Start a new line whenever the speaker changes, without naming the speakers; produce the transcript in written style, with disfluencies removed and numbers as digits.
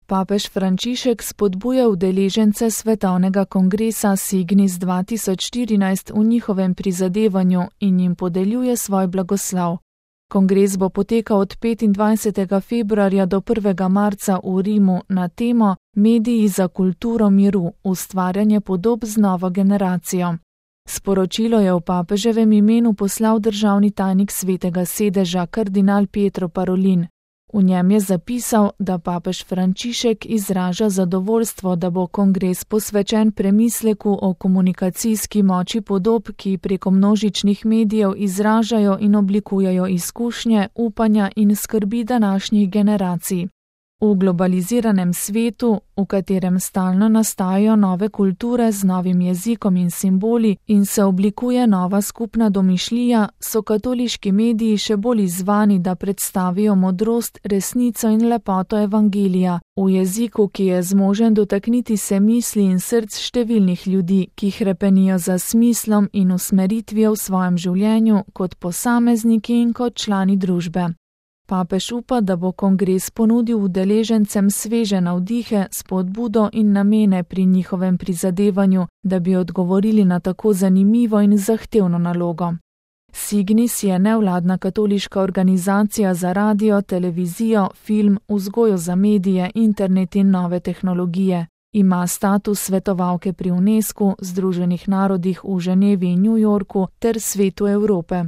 Papež Frančišek spodbuja udeležence Svetovnega kongresa Signis 2014 v njihovem prizadevanju in jim podeljuje svoj blagoslov. Kongres bo potekal od 25. februarja do 1. marca v Rimu na temo Mediji za kulturo miru, ustvarjanje podob z novo generacijo. Sporočilo je v papeževem imenu poslal državni tajnik Svetega sedeža kardinal Pietro Parolin. V njem je zapisal, da papež Frančišek izraža zadovoljstvo, da bo kongres posvečen premisleku o komunikacijski moči podob, ki preko množičnih medijev izražajo in oblikujejo izkušnje, upanja in skrbi današnjih generacij. V globaliziranem svetu, v katerem stalno nastajajo nove kulture z novim jezikom in simboli in se oblikuje nova skupna domišljija, so katoliški mediji še bolj izzvani, da predstavijo modrost, resnico in lepoto evangelija v jeziku, ki je zmožen dotakniti se misli in src številnih ljudi, ki hrepenijo za smislom in usmeritvijo v svojem življenju kot posamezniki in kot člani družbe. Papež upa, da bo kongres ponudil udeležencem sveže navdihe, spodbudo in namene pri njihovem prizadevanju, da bi odgovorili na tako zanimivo in zahtevno nalogo. Signis je nevladna katoliška organizacija za radio, televizijo, film, vzgojo za medije, internet in nove tehnologije. Ima status svetovalke pri UNESCO, Združenih narodih v Ženevi in New Yorku ter Svetu Evrope.